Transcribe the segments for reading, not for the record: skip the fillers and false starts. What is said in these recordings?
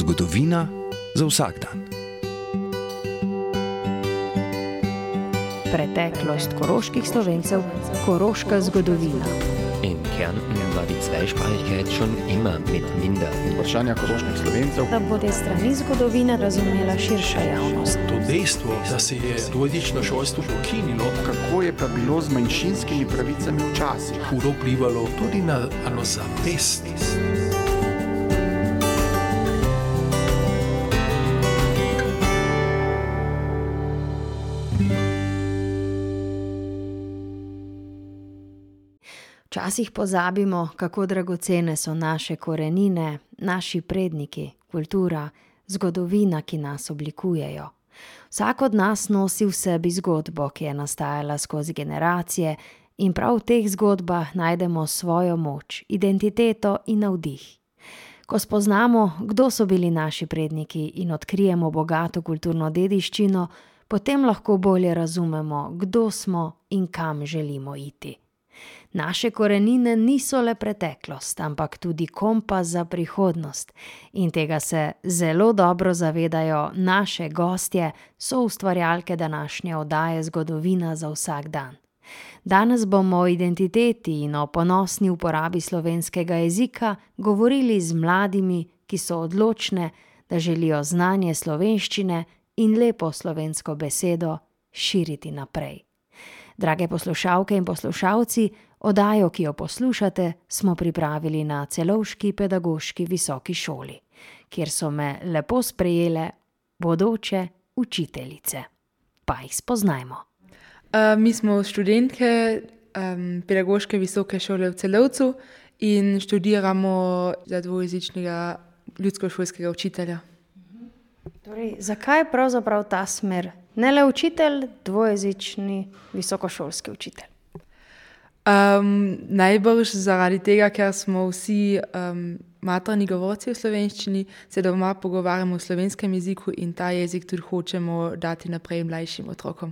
Zgodovina za vsak dan. Preteklost koroških Slovencev, koroška zgodovina. In Kärnten war die Zweisprachigkeit schon immer mit minder. Vprašanja koroških Slovencev. Da bo te strani zgodovine razumela širša javnost. To dejstvo, da se je dvojezično šolstvo ukinilo, Kako je pa bilo z manjšinskimi pravicami včasih? hudo vplivalo tudi na samozavest. Včasih pozabimo, kako dragocene so naše korenine, naši predniki, kultura, zgodovina, ki nas oblikujejo. Vsak od nas nosi v sebi zgodbo, ki je nastajala skozi generacije, in prav v teh zgodbah najdemo svojo moč, identiteto in navdih. Ko spoznamo, kdo so bili naši predniki in odkrijemo bogato kulturno dediščino, potem lahko bolje razumemo, kdo smo in kam želimo iti. Naše korenine niso le preteklost, ampak tudi kompas za prihodnost, in tega se zelo dobro zavedajo naše gostje, soustvarjalke današnje oddaje Zgodovina za vsak dan. Danes bomo o identiteti in o ponosni uporabi slovenskega jezika govorili z mladimi, ki so odločne, da želijo znanje slovenščine in lepo slovensko besedo širiti naprej. Drage poslušalke in poslušalci, oddajo, ki jo poslušate, smo pripravili na Celovški pedagoški visoki šoli, kjer so me lepo sprejele bodoče učiteljice. Pa jih spoznajmo. Mi smo študentke pedagoške visoke šole v Celovcu in študiramo za dvojezičnega ljudskošolskega učitelja. Torej, zakaj pravzaprav ta smer? Ne le učitelj, dvojezični visokošolski učitelj. Najbrž zaradi tega, ker smo vsi materni govorci v slovenščini, se doma pogovarjamo v slovenskem jeziku in ta jezik tudi hočemo dati naprej mlajšim otrokom.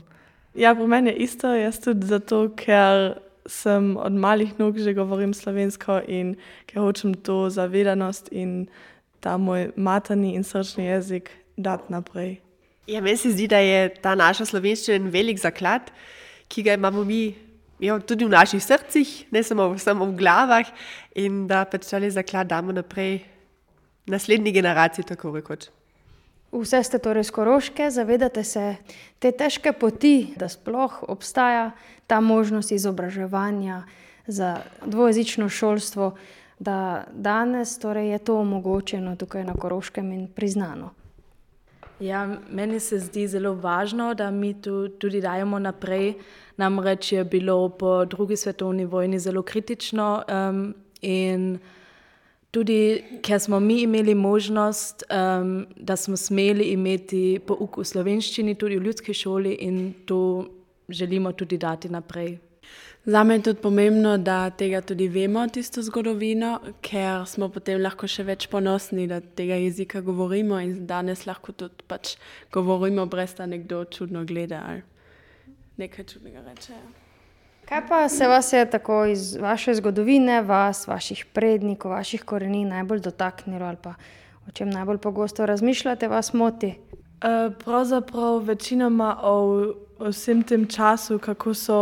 Ja, pri meni je isto, jaz tudi zato, ker sem od malih nog že govorim slovensko in ker hočem to zavedanost in ta moj materni in srčni jezik dati naprej. Ja, meni se zdi, da je ta naša slovenščina en velik zaklad, ki ga imamo mi tudi v naših srcih, ne samo v glavah, in da pač tale zaklad damo naprej naslednji generaciji, tako rekoč. Vse ste torej s Koroške, zavedate se te težke poti, da sploh obstaja ta možnost izobraževanja za dvojezično šolstvo, da danes torej je to omogočeno tukaj na Koroškem in priznano. Ja, meni se zdi zelo važno, da mi tudi dajemo naprej. Namreč je bilo po drugi svetovni vojni zelo kritično in tudi, ker smo mi imeli možnost, da smo smeli imeti pouk v slovenščini tudi v ljudski šoli in to želimo tudi dati naprej. Zame je tudi pomembno, da tega tudi vemo, tisto zgodovino, ker smo potem lahko še več ponosni, da tega jezika govorimo in danes lahko tudi pač govorimo, brez da nekdo čudno gleda ali nekaj čudnega reče. Kaj pa se vas je tako iz vaše zgodovine, vaših prednikov, vaših korenin najbolj dotaknilo ali pa o čem najbolj pogosto razmišljate, vas moti? Pravzaprav večinoma o vsem tem času, kako so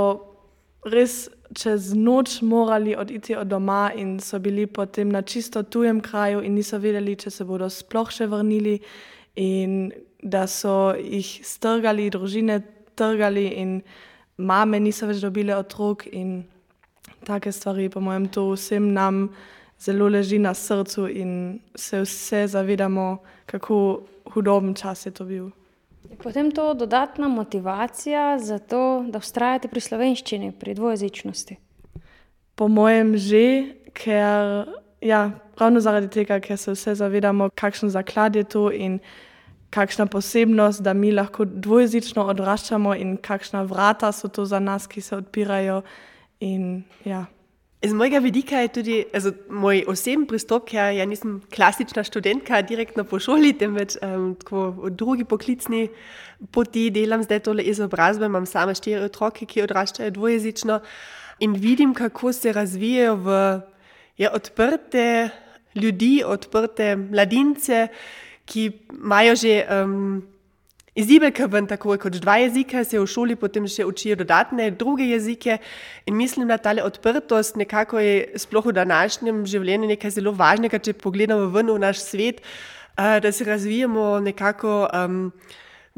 res čez noč morali oditi od doma in so bili potem na čisto tujem kraju in niso vedeli, če se bodo sploh še vrnili in da so jih strgali, družine trgali in mame niso več dobile otrok in take stvari. Po mojem, to vsem nam zelo leži na srcu in se vse zavedamo, kako hudoben čas je to bil. Je potem to dodatna motivacija za to, da vztrajate pri slovenščini, pri dvojezičnosti? Po mojem že, ker ravno zaradi tega, ker se vse zavedamo, kakšen zaklad je to in kakšna posebnost, da mi lahko dvojezično odraščamo in kakšna vrata so to za nas, ki se odpirajo in ja. Z mojega vidika je tudi moj osebni pristop, ker ja nisem klasična študentka direktno po šoli, temveč tako v drugi poklicni poti delam zdaj tole izobrazbe, imam same 4 otroke, ki odraščajo dvojezično in vidim, kako se razvijajo v odprte ljudi, odprte mladince, ki imajo že izibelke ven tako kot 2 jezika, se v šoli potem še učijo dodatne druge jezike in mislim, da tale odprtost nekako je sploh v današnjem življenju nekaj zelo važnega, če pogledamo ven v naš svet, da se razvijamo nekako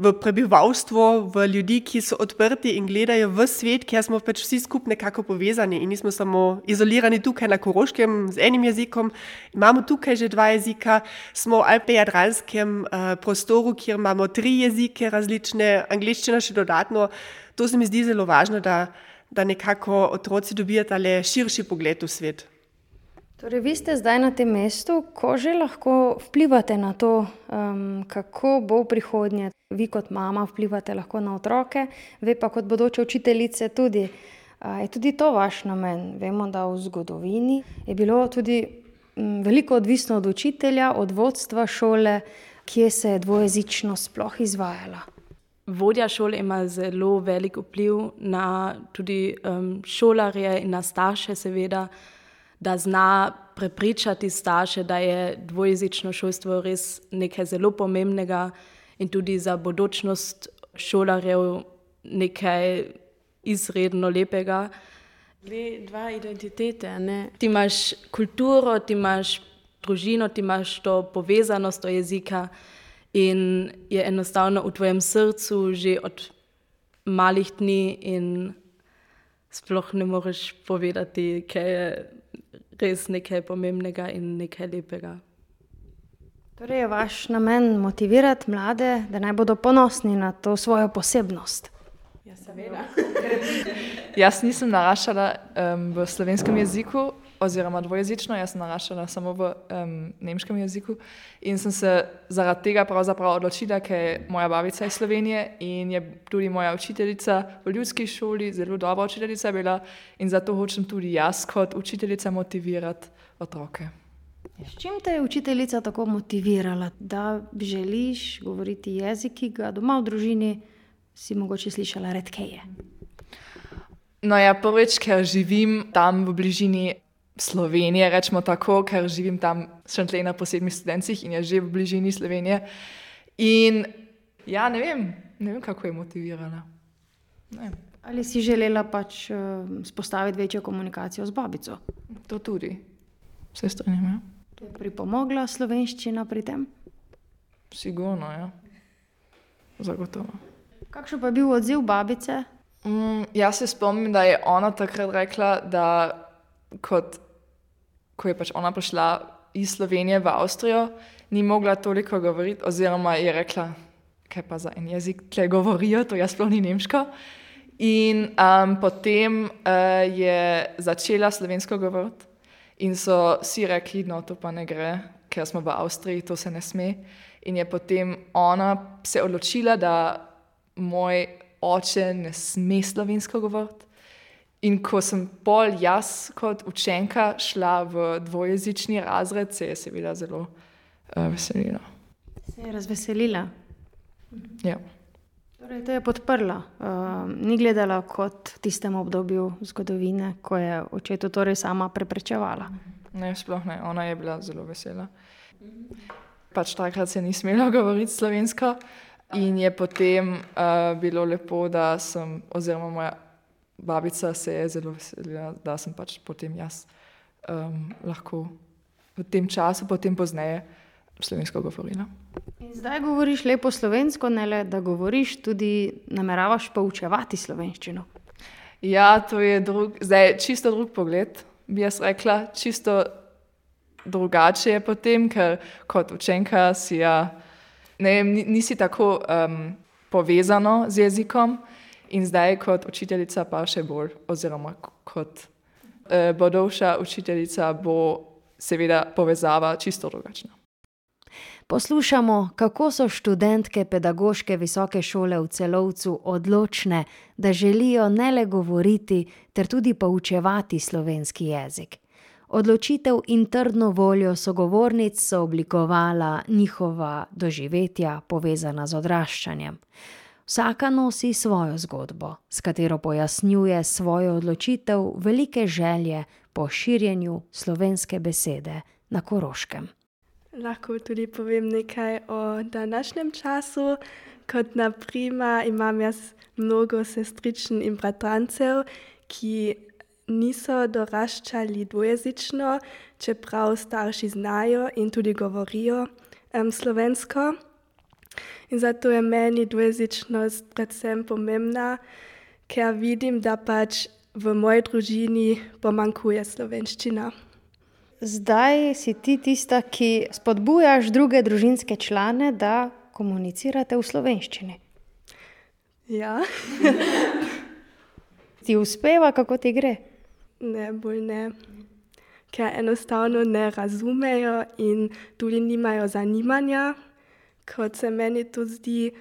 v prebivalstvo, v ljudi, ki so odprti in gledajo v svet, kjer smo pač vsi skupaj nekako povezani in nismo samo izolirani tukaj na Koroškem z enim jezikom. Imamo tukaj že 2 jezika, smo v alpejadranskem prostoru, kjer imamo 3 jezike različne, angliščina še dodatno. To se mi zdi zelo važno, da nekako otroci dobijo tale širši pogled v svet. Torej, vi ste zdaj na tem mestu, ko že lahko vplivate na to, kako bo v prihodnje. Vi kot mama vplivate lahko na otroke, ve pa kot bodoče učiteljice tudi. Je tudi to vaš namen? Vemo, da v zgodovini je bilo tudi veliko odvisno od učitelja, od vodstva šole, kje se je dvojezičnost sploh izvajala. Vodja šole ima zelo velik vpliv na tudi šolarje in na starše seveda, da zna prepričati starše, da je dvojezično šolstvo res nekaj zelo pomembnega in tudi za bodočnost šolarjev nekaj izredno lepega. 2 identitete, ne? Ti imaš kulturo, ti imaš družino, ti imaš to povezanost do jezika in je enostavno v tvojem srcu že od malih dni in sploh ne moreš povedati, kaj je res nekaj pomembnega in nekaj lepega. Torej je vaš namen motivirati mlade, da naj bodo ponosni na to svojo posebnost? Ja, seveda. Jaz nisem naraščala v slovenskem jeziku oziroma dvojezično, jaz sem naraščala samo v nemškem jeziku in sem se zaradi tega pravzaprav odločila, ker je moja babica iz Slovenije in je tudi moja učiteljica v ljudski šoli, zelo dobra učiteljica bila in zato hočem tudi jaz kot učiteljica motivirati otroke. S čim te je učiteljica tako motivirala, da želiš govoriti jezik, ki ga doma v družini si mogoče slišala redkeje? No ja, prvič, ker živim tam v bližini Slovenije, rečemo tako, ker živim tam še na posebnih studencih in je že v bližini Slovenije. In ja, ne vem, kako je motivirala. Ali si želela pač spostaviti večjo komunikacijo z babico? To tudi. Vse strinjam, ja. Je pripomogla slovenščina pri tem? Sigurno, ja. Zagotovo. Kakšen pa je bil odziv babice? Jaz se spomnim, da je ona takrat rekla, da ko je pač ona prišla iz Slovenije v Avstrijo, ni mogla toliko govoriti, oziroma je rekla, kaj pa za en jezik tle govorijo, to jaz sploh ni nemško. In potem je začela slovensko govoriti in so vsi rekli, no to pa ne gre, ker smo v Avstriji, to se ne sme. In je potem ona se odločila, da moj oče ne sme slovensko govoriti. In ko sem pol jaz kot učenka šla v dvojezični razred, se je seveda zelo veselila. Se je razveselila? Ja. Torej, to je podprla. Ni gledala kot v tistem obdobju zgodovine, ko je očetu torej sama preprečevala. Ne, sploh ne. Ona je bila zelo vesela. Pač takrat se ni smela govoriti slovensko in je potem bilo lepo, da sem, oziroma moja babica se je zelo veselila, da sem pač potem jaz lahko v tem času, potem pozneje slovensko govorila. In zdaj govoriš lepo slovensko, ne le, da govoriš, tudi nameravaš poučevati slovenščino. Ja, to je zdaj čisto drug pogled, bi jaz rekla, čisto drugače je potem, ker kot učenka si nisi tako povezano z jezikom in zdaj kot učiteljica pa še bolj, oziroma kot bodoča učiteljica bo seveda povezava čisto drugačna. Poslušamo, kako so študentke pedagoške visoke šole v Celovcu odločne, da želijo ne le govoriti, ter tudi poučevati slovenski jezik. Odločitev in trdno voljo sogovornic so oblikovala njihova doživetja, povezana z odraščanjem. Vsaka nosi svojo zgodbo, s katero pojasnjuje svojo odločitev velike želje po širjenju slovenske besede na Koroškem. Lahko tudi povem nekaj o današnjem času. Kot naprimer imam jaz mnogo sestričen in bratrancev, ki niso doraščali dvojezično, čeprav starši znajo in tudi govorijo slovensko. In zato je meni dvojezičnost predvsem pomembna, ker vidim, da pač v moji družini pomanjkuje slovenščina. Zdaj si ti tista, ki spodbujaš druge družinske člane, da komunicirate v slovenščini. Ja. Ti uspeva, kako ti gre? Ne, bolj ne. Ker enostavno ne razumejo in tudi nimajo zanimanja, kot se meni to zdi.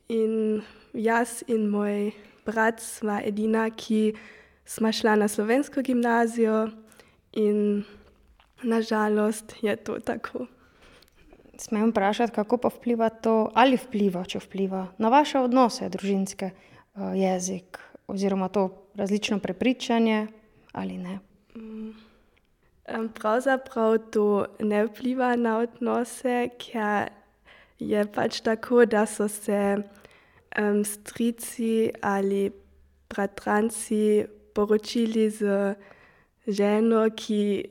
In jaz in moj brat sva edina, ki sva šla na slovensko gimnazijo in nažalost je to tako. Smem vprašati, kako pa vpliva to, ali vpliva, če vpliva, na vaše odnose družinske, jezik oziroma to različno prepričanje ali ne? Pravzaprav to ne vpliva na odnose, ker je pač tako, da so se strici ali bratranci poročili z ženo, ki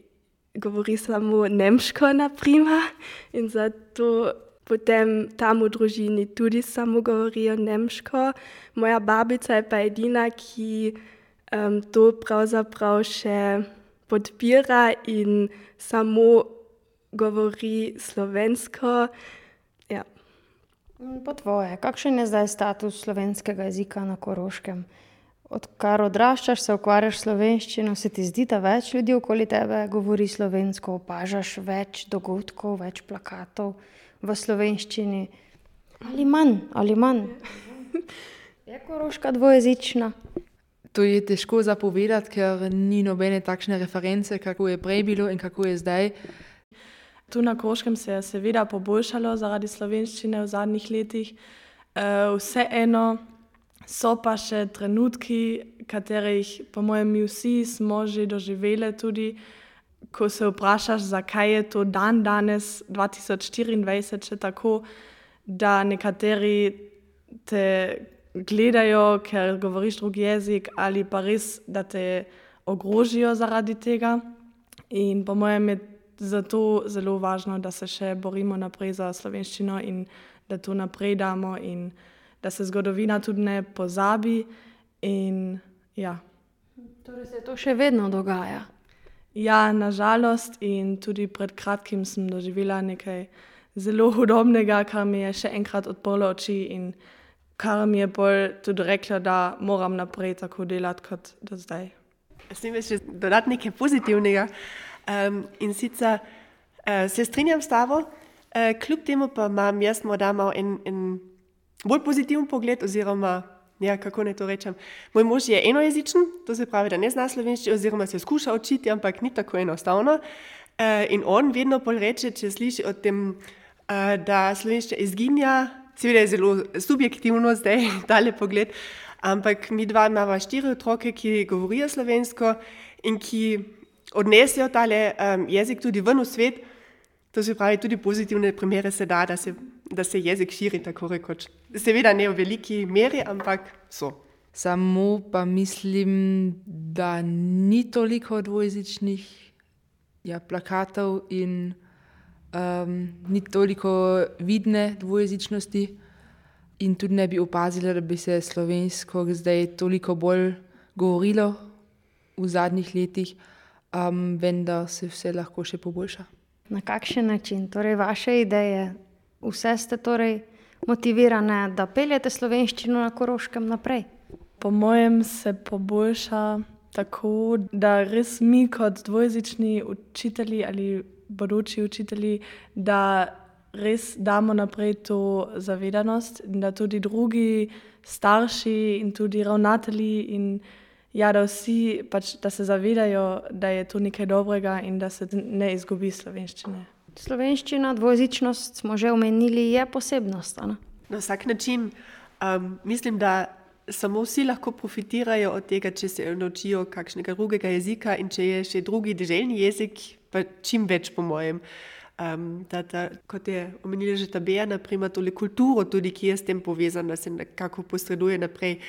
govori samo nemško, naprimer, in zato potem tam v družini tudi samo govorijo nemško. Moja babica je pa edina, ki to pravzaprav še podpira in samo govori slovensko. Ja. Po tvoje, kakšen je zdaj status slovenskega jezika na Koroškem? Odkar odraščaš, se ukvarjaš s slovenščino, se ti zdi, da več ljudi okoli tebe govori slovensko, opažaš več dogodkov, več plakatov v slovenščini? Ali manj? Je Koroška dvojezična? To je težko zapovedati, ker ni nobene takšne reference, kako je prej bilo in kako je zdaj. Tu na Koroškem se je seveda poboljšalo zaradi slovenščine v zadnjih letih. Vseeno so pa še trenutki, katerih po mojem mi vsi smo že doživeli tudi, ko se vprašaš, zakaj je to dan danes 2024 še tako, da nekateri te gledajo, ker govoriš drugi jezik, ali pa res, da te ogrožijo zaradi tega. In po mojem je zato zelo važno, da se še borimo naprej za slovenščino in da to naprej damo in da se zgodovina tudi ne pozabi. In ja. Torej se to še vedno dogaja? Ja, nažalost, in tudi pred kratkim sem doživela nekaj zelo hudobnega, kar mi je še enkrat odprlo oči in kar mi je bolj tudi rekla, da moram naprej tako delati kot do zdaj. Smem še dodati nekaj pozitivnega. In sicer se strinjam s tabo, kljub temu pa imam jaz morda malo en bolj pozitiven pogled, oziroma, ja, kako naj to rečem. Moj mož je enojezičen, to se pravi, da ne zna slovenščino, oziroma se skuša učiti, ampak ni tako enostavno. In on vedno bolj reče, če sliši o tem, da slovenščina izginja, seveda je zelo subjektivno zdaj tale pogled, ampak mi dva imamo 4 otroke, ki govorijo slovensko in ki odnesejo tale jezik tudi ven v svet. To se pravi, tudi pozitivne primere se da se jezik širi, tako rekoč. Seveda ne v veliki meri, ampak so. Samo pa mislim, da ni toliko dvojezičnih plakatov in ni toliko vidne dvojezičnosti. In tudi ne bi opazila, da bi se slovensko zdaj toliko bolj govorilo v zadnjih letih, vendar se vse lahko še poboljša. Na kakšen način? Torej vaše ideje, vse ste torej motivirane, da peljete slovenščino na Koroškem naprej? Po mojem se poboljša tako, da res mi kot dvojezični učitelji ali bodoči učitelji, da res damo naprej to zavedanost, da tudi drugi starši in tudi ravnatelji in da vsi pač, da se zavedajo, da je to nekaj dobrega in da se ne izgubi slovenščine. Slovenščina, dvojezičnost smo že omenili, je posebnost, ne? Na vsak način mislim, da samo vsi lahko profitirajo od tega, če se naučijo kakšnega drugega jezika in če je še drugi deželni jezik, pa čim več po mojem. Kot je omenila že ta Bea, naprimer, tole kulturo tudi, ki je s tem povezana, se nekako posreduje naprej.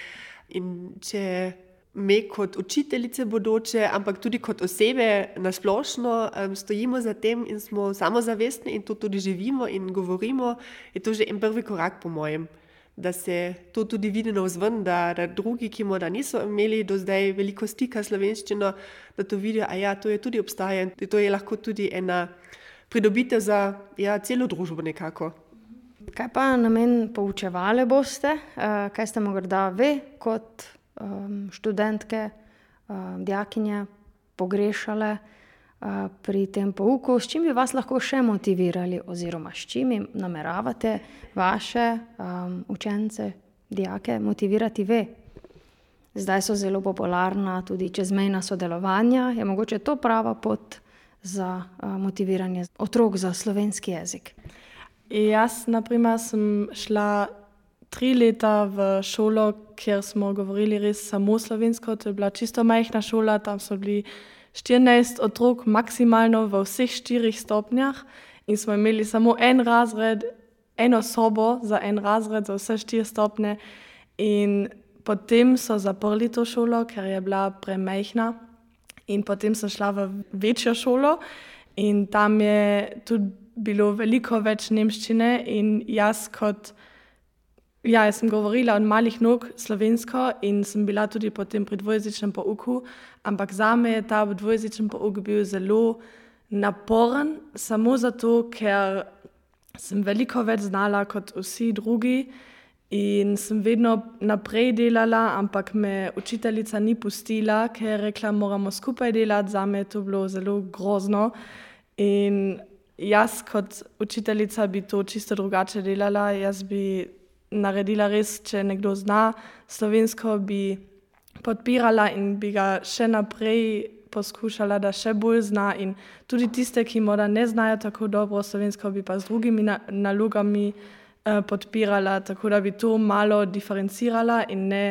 In če mi kot učiteljice bodoče, ampak tudi kot osebe nasplošno stojimo za tem in smo samozavestni in to tudi živimo in govorimo, je to že en prvi korak po mojem. Da se to tudi vidi navzven, da drugi, ki morda niso imeli do zdaj veliko stika s slovenščino, da to vidijo, to je tudi obstaja in to je lahko tudi ena pridobitev za celo družbo nekako. Kaj pa namen poučevale boste? Kaj ste morda ve kot študentke, dijakinje pogrešale pri tem pouku? S čim bi vas lahko še motivirali oziroma s čim nameravate vaše učence, dijake motivirati ve? Zdaj so zelo popularna tudi čezmejna sodelovanja. Je mogoče to prava pot za motiviranje otrok za slovenski jezik? Jaz, naprimer, sem šla 3 leta v šolo, kjer smo govorili res samo slovensko. To je bila čisto majhna šola, tam so bili 14 otrok maksimalno v vseh 4 stopnjah in smo imeli samo en razred, eno sobo za en razred za vse 4 stopnje in potem so zaprli to šolo, ker je bila premajhna in potem sem šla v večjo šolo in tam je tudi bilo veliko več nemščine in jaz sem govorila od malih nog slovensko in sem bila tudi potem pri dvojezičnem pouku, ampak zame je ta dvojezičen pouk bil zelo naporen, samo zato, ker sem veliko več znala kot vsi drugi in sem vedno naprej delala, ampak me učiteljica ni pustila, ker je rekla, moramo skupaj delati, zame je to bilo zelo grozno in jaz kot učiteljica bi to čisto drugače delala, jaz bi naredila res, če nekdo zna slovensko, bi podpirala in bi ga še naprej poskušala, da še bolj zna in tudi tiste, ki morda ne znajo tako dobro slovensko, bi pa z drugimi nalogami podpirala, tako da bi to malo diferencirala in ne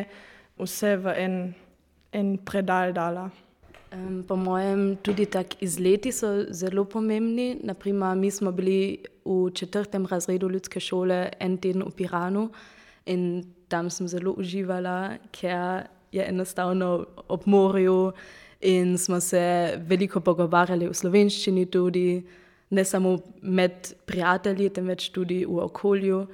vse v en predal dala. Po mojem tudi tak izleti so zelo pomembni. Naprimer, mi smo bili v 4. razredu ljudske šole en teden v Piranu in tam sem zelo uživala, ker je enostavno ob morju in smo se veliko pogovarjali v slovenščini tudi, ne samo med prijatelji, temveč tudi v okolju.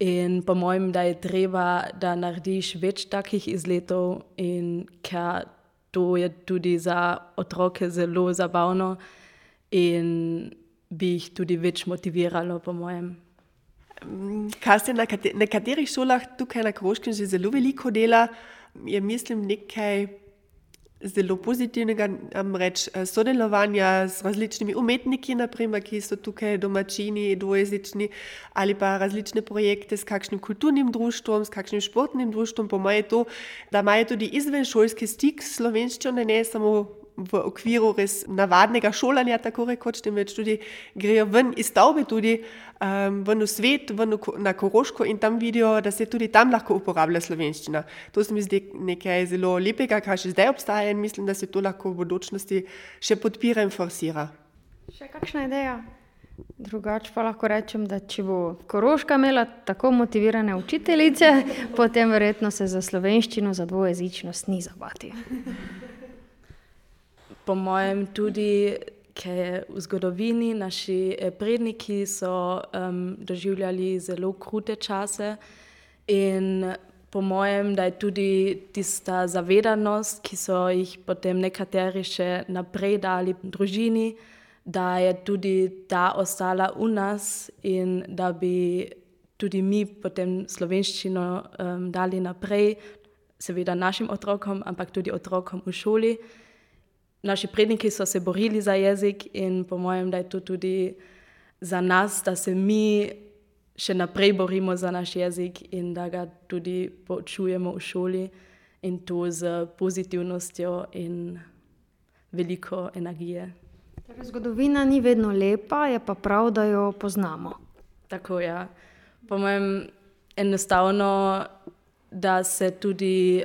In po mojem, da je treba, da narediš več takih izletov in ker to je tudi za otroke zelo zabavno in bi jih tudi več motiviralo, po mojem. Kar se na nekaterih šolah tukaj na Koroškem že zelo veliko dela, je mislim nekaj zelo pozitivnega, namreč sodelovanja z različnimi umetniki, naprimer, ki so tukaj domačini, dvojezični, ali pa različne projekte s kakšnim kulturnim društvom, s kakšnim športnim društvom. Po mojem je to, da imajo tudi izvenšolski stik s slovenščino, ne samo v okviru res navadnega šolanja, tako rekoč, temveč tudi grejo ven iz stavbe tudi ven v svet, ven na Koroško in tam vidijo, da se tudi tam lahko uporablja slovenščina. To se mi zdi nekaj zelo lepega, kar še zdaj obstaja in mislim, da se to lahko v bodočnosti še podpira in forsira. Še kakšna ideja? Drugače pa lahko rečem, da če bo Koroška imela tako motivirane učiteljice, potem verjetno se za slovenščino, za dvojezičnost ni zabati. Po mojem tudi, ker v zgodovini naši predniki so doživljali zelo krute čase in po mojem, da je tudi tista zavedanost, ki so jih potem nekateri še naprej dali družini, da je tudi ta ostala v nas in da bi tudi mi potem slovenščino dali naprej, seveda našim otrokom, ampak tudi otrokom v šoli. Naši predniki so se borili za jezik in po mojem, da je to tudi za nas, da se mi še naprej borimo za naš jezik in da ga tudi poučujemo v šoli in to z pozitivnostjo in veliko energije. Torej, zgodovina ni vedno lepa, je pa prav, da jo poznamo. Tako, ja. Po mojem, enostavno, da se tudi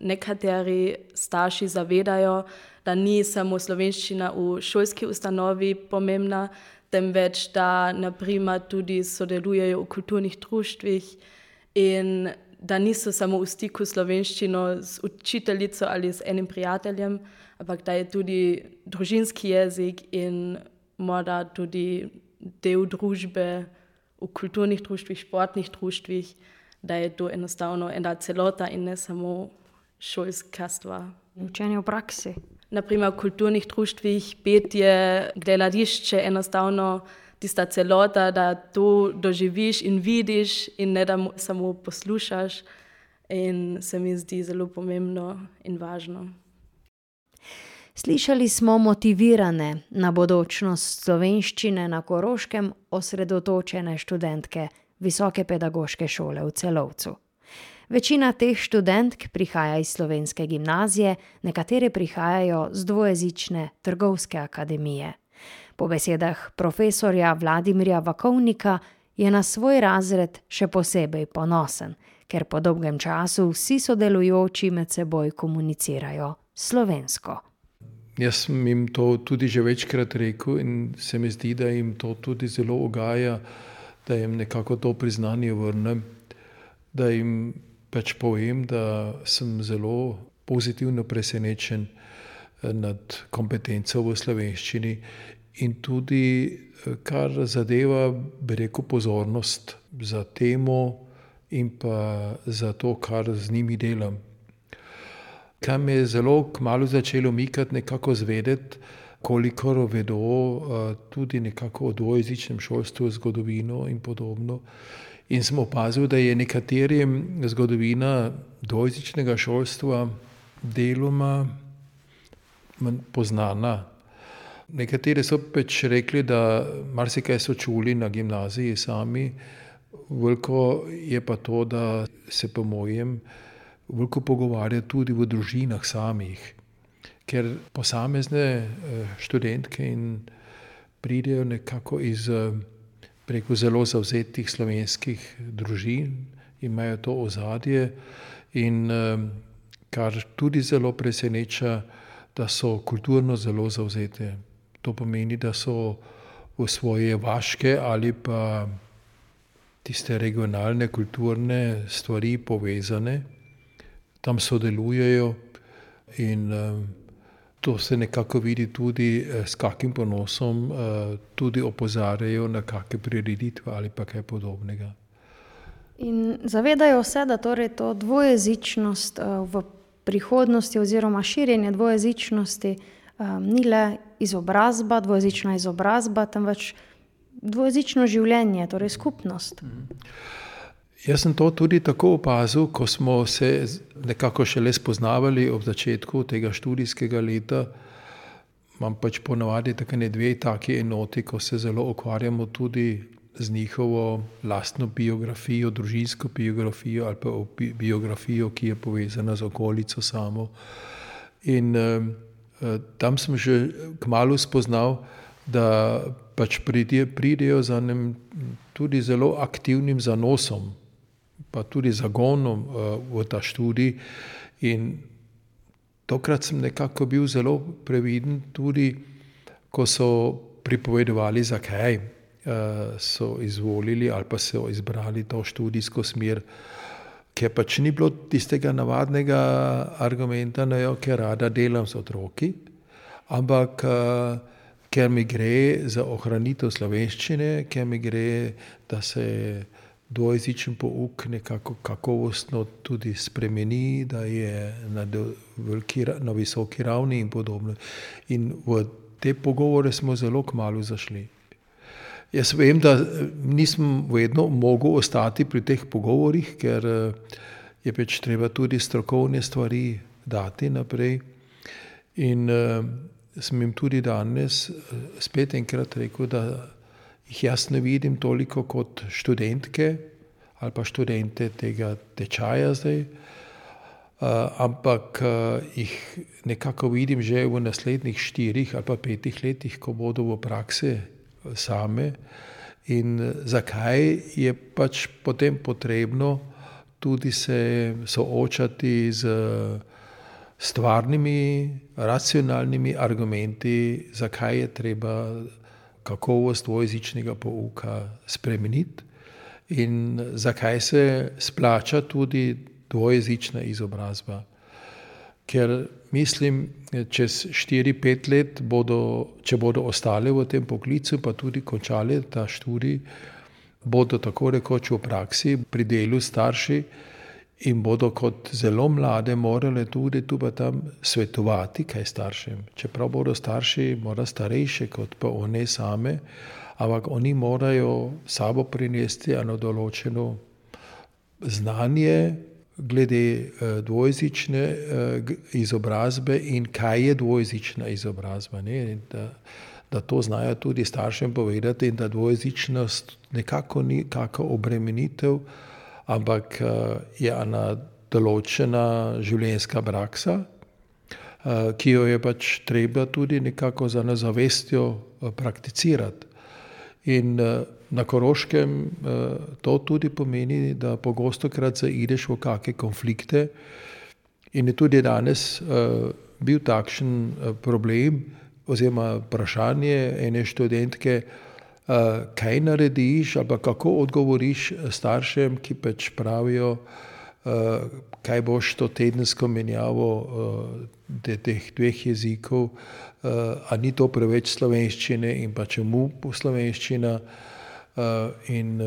nekateri starši zavedajo, da ni samo slovenščina v šolski ustanovi pomembna, temveč da naprimer tudi sodelujejo v kulturnih društvih in da niso samo v stiku slovenščino z učiteljico ali z enim prijateljem, ampak da je tudi družinski jezik in morda tudi del družbe v kulturnih društvih, športnih društvih, da je to enostavno ena celota in ne samo šolska stvar. Učenje v praksi. Naprimer v kulturnih društvih petje, gledališče, enostavno tista celota, da to doživiš in vidiš in ne da samo poslušaš in se mi zdi zelo pomembno in važno. Slišali smo motivirane na bodočnost slovenščine na Koroškem osredotočene študentke Visoke pedagoške šole v Celovcu. Večina teh študentk prihaja iz slovenske gimnazije, nekatere prihajajo z dvojezične Trgovske akademije. Po besedah profesorja Vladimirja Vakovnika je na svoj razred še posebej ponosen, ker po dolgem času vsi sodelujoči med seboj komunicirajo slovensko. Jaz sem jim to tudi že večkrat rekel in se mi zdi, da jim to tudi zelo ugaja, da jim nekako to priznanje vrnem, da jim pač povem, da sem zelo pozitivno presenečen nad kompetenco v slovenščini in tudi kar zadeva, bi rekel, pozornost za temo in pa za to, kar z njimi delam. Kaj me je zelo kmalu začelo mikati nekako zvedeti, kolikor vedo tudi nekako o dvojezičnem šolstvu, zgodovino in podobno. In sem opazil, da je nekaterim zgodovina dvojezičnega šolstva deloma manj poznana. Nekateri so pač rekli, da marsikaj so čuli na gimnaziji sami, veliko je pa to, da se po mojem veliko pogovarja tudi v družinah samih, ker posamezne študentke in pridejo nekako iz preko zelo zavzetih slovenskih družin, imajo to ozadje in kar tudi zelo preseneča, da so kulturno zelo zavzete. To pomeni, da so v svoje vaške ali pa tiste regionalne kulturne stvari povezane, tam sodelujejo in to se nekako vidi tudi, s kakim ponosom tudi opozarjajo na kakšne prireditve ali pa kaj podobnega. In zavedajo se, da torej to dvojezičnost v prihodnosti oziroma širjenje dvojezičnosti ni le izobrazba, dvojezična izobrazba, temveč dvojezično življenje, torej skupnost. Jaz sem to tudi tako opazil, ko smo se nekako šele spoznavali ob začetku tega študijskega leta. Imam pač ponavadi takšne dve taki enoti, ko se zelo ukvarjamo tudi z njihovo lastno biografijo, družinsko biografijo ali pa biografijo, ki je povezana z okolico samo. In tam sem že kmalu spoznal, da pač pridejo za enim tudi zelo aktivnim zanosom, pa tudi zagonom v ta študij. In tokrat sem nekako bil zelo previden tudi, ko so pripovedovali, zakaj so izvolili ali pa so izbrali to študijsko smer, ker pač ni bilo tistega navadnega argumenta, ker rada delam z otroki, ampak ker mi gre za ohranitev slovenščine, ker mi gre, da se dvojezičen pouk nekako kakovostno tudi spremeni, da je na visoki ravni in podobno. In v te pogovore smo zelo kmalu zašli. Jaz vem, da nisem vedno mogel ostati pri teh pogovorih, ker je pač treba tudi strokovne stvari dati naprej. In sem jim tudi danes spet enkrat rekel, da jih jaz ne vidim toliko kot študentke ali pa študente tega tečaja zdaj, ampak jih nekako vidim že v naslednjih 4 ali pa 5 letih, ko bodo v praksi same. In zakaj je pač potem potrebno tudi se soočati z stvarnimi, racionalnimi argumenti, zakaj je treba kakovost dvojezičnega pouka spremeniti in zakaj se splača tudi dvojezična izobrazba. Ker mislim, čez 4-5 let če bodo ostale v tem poklicu, pa tudi končali ta študij, bodo tako rekoč v praksi pri delu starši in bodo kot zelo mlade morali tudi tu pa tam svetovati kaj staršem. Čeprav bodo starši morda starejši kot pa one same, ampak oni morajo sabo prinesti eno določeno znanje glede dvojezične izobrazbe in kaj je dvojezična izobrazba. Ne? Da to znajo tudi staršem povedati in da dvojezičnost nekako ni kakšna obremenitev, ampak je ena določena življenjska praksa, ki jo je pač treba tudi nekako za zavestjo prakticirati. In na Koroškem to tudi pomeni, da pogostokrat zaideš v kakšne konflikte in je tudi danes bil takšen problem oziroma vprašanje ene študentke, kaj narediš ali kako odgovoriš staršem, ki pač pravijo, kaj boš to tedensko menjavo teh dveh jezikov, a ni to preveč slovenščine in pa čemu slovenščina. In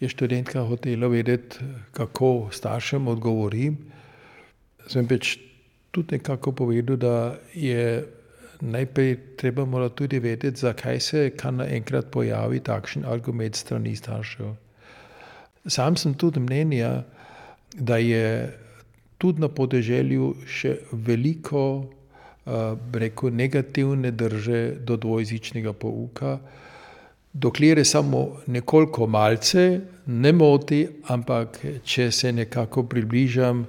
je študentka hotela vedeti, kako staršem odgovorim. Sem pač tudi nekako povedal, da je najprej treba mora tudi vedeti, zakaj se kan naenkrat pojavi takšen argument strani staršev. Sam sem tudi mnenja, da je tudi na podeželju še veliko negativne drže do dvojezičnega pouka, dokler je samo nekoliko malce, ne moti, ampak če se nekako približam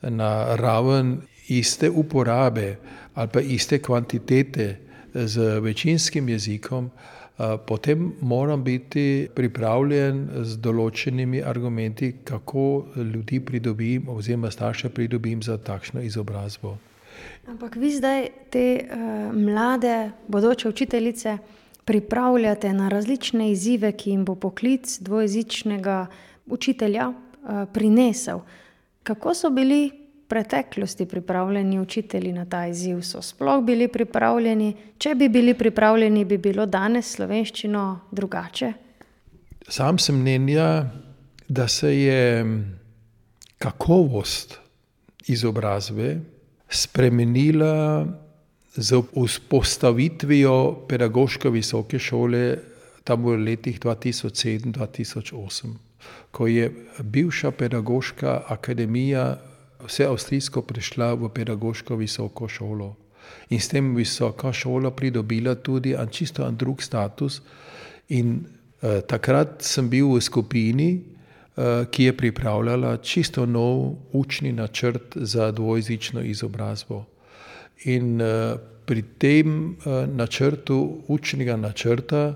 na raven iste uporabe ali pa iste kvantitete z večinskim jezikom, potem moram biti pripravljen z določenimi argumenti, kako ljudi pridobim oziroma starše pridobim za takšno izobrazbo. Ampak vi zdaj te mlade bodoče učiteljice pripravljate na različne izzive, ki jim bo poklic dvojezičnega učitelja prinesel. Kako so bili v preteklosti pripravljeni učitelji na ta izziv? So sploh bili pripravljeni? Če bi bili pripravljeni, bi bilo danes slovenščino drugače? Sam sem mnenja, da se je kakovost izobrazbe spremenila z vzpostavitvijo pedagoške visoke šole tam v letih 2007-2008, ko je bivša pedagoška akademija vseavstrijsko prišla v pedagoško visoko šolo. In s tem visoka šola pridobila tudi čisto drug status. In takrat sem bil v skupini, ki je pripravljala čisto nov učni načrt za dvojezično izobrazbo. In pri tem učnega načrta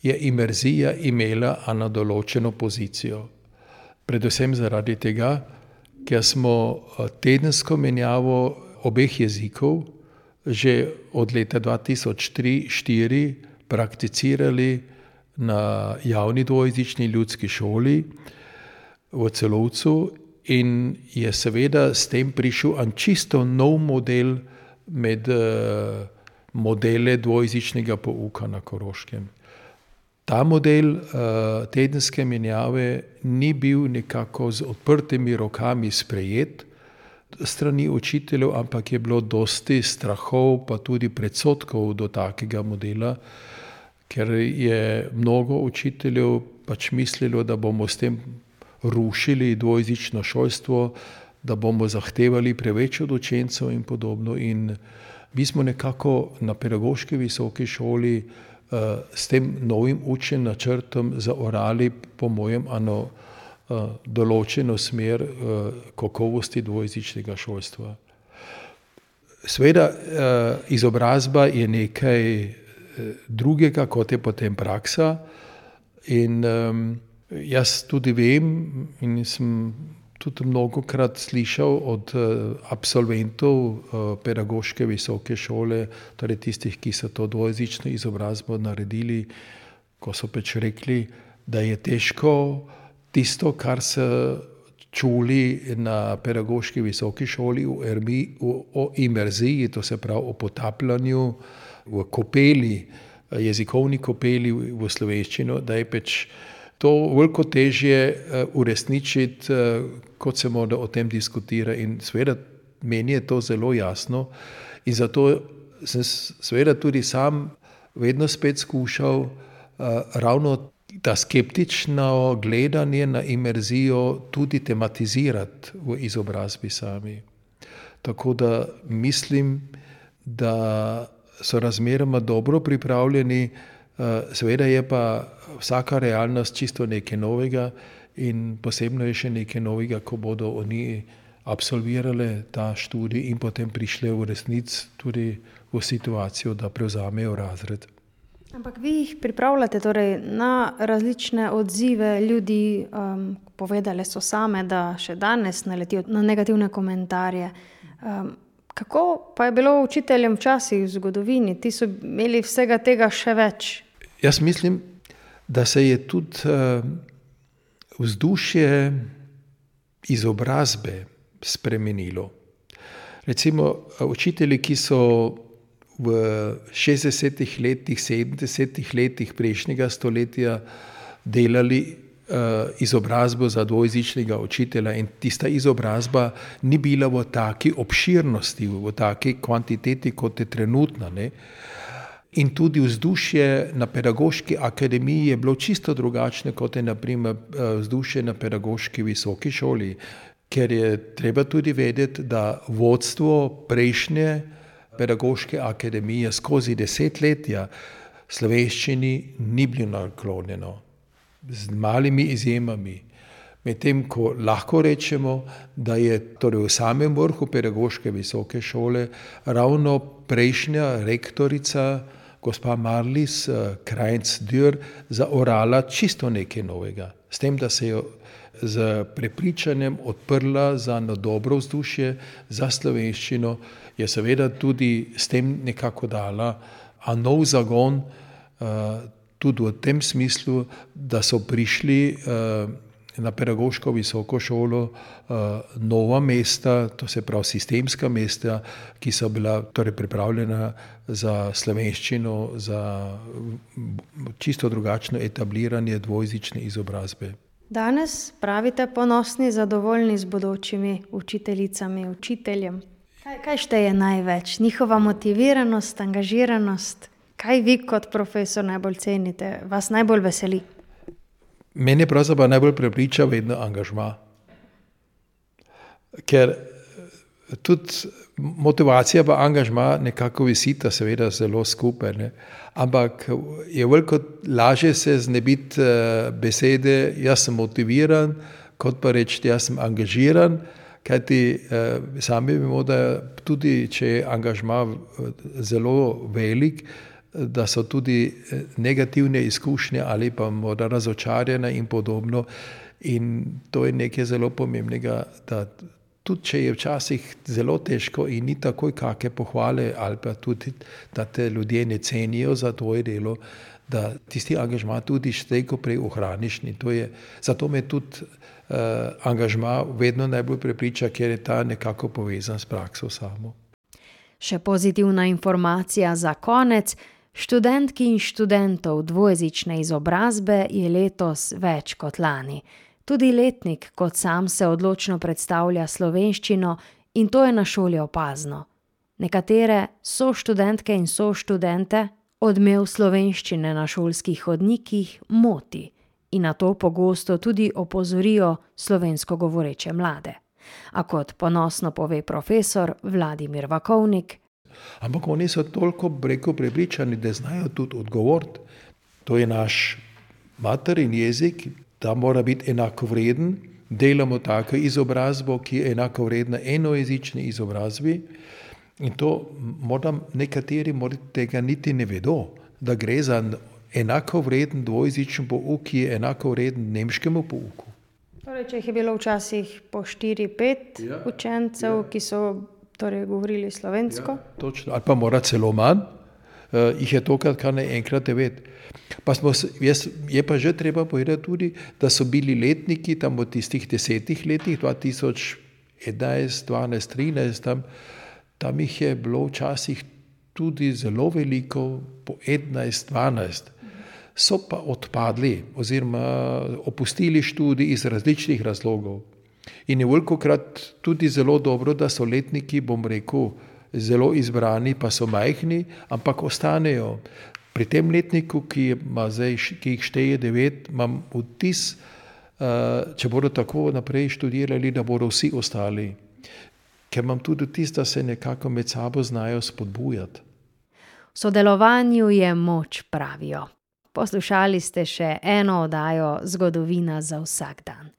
je imerzija imela eno določeno pozicijo. Predvsem zaradi tega, ker smo tedensko menjavo obeh jezikov že od leta 2003-2004 prakticirali na javni dvojezični ljudski šoli v Celovcu in je seveda s tem prišel čisto nov model med modele dvojezičnega pouka na Koroškem. Ta model tedenske menjave ni bil nekako z odprtimi rokami sprejet strani učiteljev, ampak je bilo dosti strahov pa tudi predsodkov do takega modela, ker je mnogo učiteljev pač mislilo, da bomo s tem rušili dvojezično šolstvo, da bomo zahtevali preveč od učencev in podobno. In mi smo nekako na pedagoški visoki šoli s tem novim učnim načrtom zaorali, po mojem, določeno smer kakovosti dvojezičnega šolstva. Seveda, izobrazba je nekaj drugega, kot je potem praksa. In Jaz tudi vem in sem tudi mnogokrat slišal od absolventov pedagoške visoke šole, torej tistih, ki so to dvojezično izobrazbo naredili, ko so pač rekli, da je težko tisto, kar so čuli na pedagoški visoki šoli o imerziji, to se pravi o potapljanju v kopeli, jezikovni kopeli v slovenščino, da je pač to veliko težje uresničiti, kot se mora o tem diskutira. In seveda meni je to zelo jasno in zato sem seveda tudi sam vedno spet skušal ravno ta skeptično gledanje na imerzijo tudi tematizirati v izobrazbi sami. Tako da mislim, da so razmeroma dobro pripravljeni, seveda je pa vsaka realnost čisto nekaj novega in posebno je še nekaj novega, ko bodo oni absolvirali ta študij in potem prišli v resnici tudi v situacijo, da prevzamejo razred. Ampak vi jih pripravljate torej na različne odzive ljudi, povedale so same, da še danes naletijo na negativne komentarje. Kako pa je bilo učiteljem včasih v zgodovini? Ti so imeli vsega tega še več. Jaz mislim, da se je tudi vzdušje izobrazbe spremenilo. Recimo učitelji, ki so v 60-ih letih, 70-ih letih prejšnjega stoletja delali izobrazbo za dvojezičnega učitelja in tista izobrazba ni bila v taki obširnosti, v taki kvantiteti, kot je trenutna, ne? In tudi vzdušje na pedagoški akademiji je bilo čisto drugačno, kot je na primer vzdušje na pedagoški visoki šoli, ker je treba tudi vedeti, da vodstvo prejšnje pedagoške akademije skozi desetletja slovenščini ni bilo naklonjeno, z malimi izjemami. Medtem ko lahko rečemo, da je torej v samem vrhu pedagoške visoke šole ravno prejšnja rektorica, gospa Marlies Krajnc-Dürr, zaorala čisto nekaj novega. S tem, da se je z prepričanjem odprla za dobro vzdušje, za slovenščino, je seveda tudi s tem nekako dala nov zagon, tudi v tem smislu, da so prišli na pedagoško visoko šolo nova mesta, to se pravi sistemska mesta, ki so bila torej pripravljena za slovenščino, za čisto drugačno etabliranje dvojezične izobrazbe. Danes pravite ponosni, zadovoljni z bodočimi učiteljicami, učiteljem. Kaj šteje največ? Njihova motiviranost, angažiranost? Kaj vi kot profesor najbolj cenite, vas najbolj veseli? Mene pravzaprav najbolj prepriča vedno angažma. Ker tudi motivacija pa angažma nekako visita seveda zelo skupaj, ne? Ampak je veliko lažje se znebiti besede jaz sem motiviran, kot pa reči jaz sem angažiran, kajti sami vemo, da tudi če je angažma zelo velik, da so tudi negativne izkušnje ali pa morda razočarjene in podobno. In to je nekaj zelo pomembnega, da tudi če je včasih zelo težko in ni takoj kakšne pohvale ali pa tudi, da te ljudje ne cenijo za tvoje delo, da tisti angažma tudi slej ko prej ohraniš. Zato me tudi angažma vedno najbolj prepriča, ker je ta nekako povezan s prakso samo. Še pozitivna informacija za konec. Študentki in študentov dvojezične izobrazbe je letos več kot lani. Tudi letnik kot sam se odločno predstavlja slovenščino in to je na šoli opazno. Nekatere soštudentke in soštudente odmev slovenščine na šolskih hodnikih moti in na to pogosto tudi opozorijo slovensko govoreče mlade. A kot ponosno pove profesor Vladimir Vakovnik, ampak oni so toliko prepričani, da znajo tudi odgovoriti. To je naš materin jezik, da mora biti enakovreden. Delamo tako izobrazbo, ki je enakovredna enojezični izobrazbi. In to nekateri tega niti ne vedo, da gre za enako vreden dvojezičen pouk, ki je enako vreden nemškemu pouku. Torej, če jih je bilo včasih po 4-5 učencev, ki so torej govorili slovensko. Ja, točno, ali pa mora celo manj, jih je tokrat kar naenkrat 9. Je pa že treba povedati tudi, da so bili letniki tam v tistih 10 letih, 2011, 12, 13, tam jih je bilo včasih tudi zelo veliko, po 11, 12. So pa odpadli oziroma opustili študij iz različnih razlogov. In je velikokrat tudi zelo dobro, da so letniki, bom rekel, zelo izbrani, pa so majhni, ampak ostanejo. Pri tem letniku, ki jih šteje 9, imam vtis, če bodo tako naprej študirali, da bodo vsi ostali. Ker imam tudi vtis, da se nekako med sabo znajo spodbujati. V sodelovanju je moč, pravijo. Poslušali ste še eno oddajo Zgodovina za vsak dan.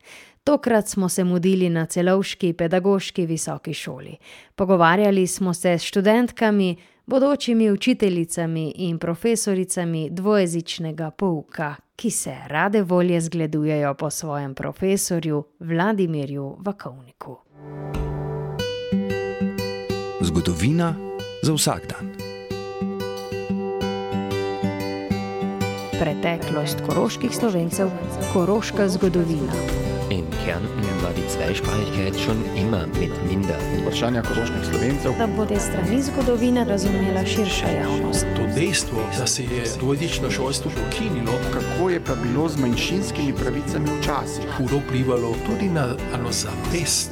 Tokrat smo se mudili na Celovški pedagoški visoki šoli. Pogovarjali smo se s študentkami, bodočimi učiteljicami in profesoricami dvojezičnega pouka, ki se rade volje zgledujejo po svojem profesorju Vladimirju Vakovniku. Zgodovina za vsak dan. Preteklost koroških Slovencev, koroška zgodovina. In Kärnten war die Zweisprachigkeit schon immer mit minder. Vprašanja koroških Slovencev. Da bo te strani zgodovine razumela širša javnost. To dejstvo, da se je dvojezično šolstvo ukinilo, Kako je pa bilo z manjšinskimi pravicami včasih? hudo vplivalo tudi na zavest